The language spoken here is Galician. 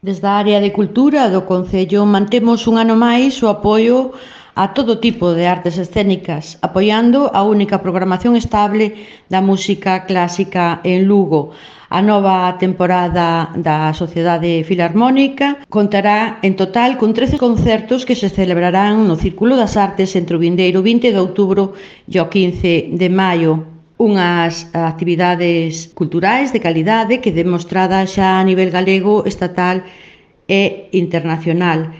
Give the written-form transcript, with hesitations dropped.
Desde a área de cultura do Concello mantemos un ano máis o apoio a todo tipo de artes escénicas, apoiando a única programación estable da música clásica en Lugo. A nova temporada da Sociedade Filarmónica contará en total con 13 concertos que se celebrarán no Círculo das Artes entre o vindeiro 20 de outubro e o 15 de maio. Unhas actividades culturais de calidade que demostrada xa a nivel galego, estatal e internacional.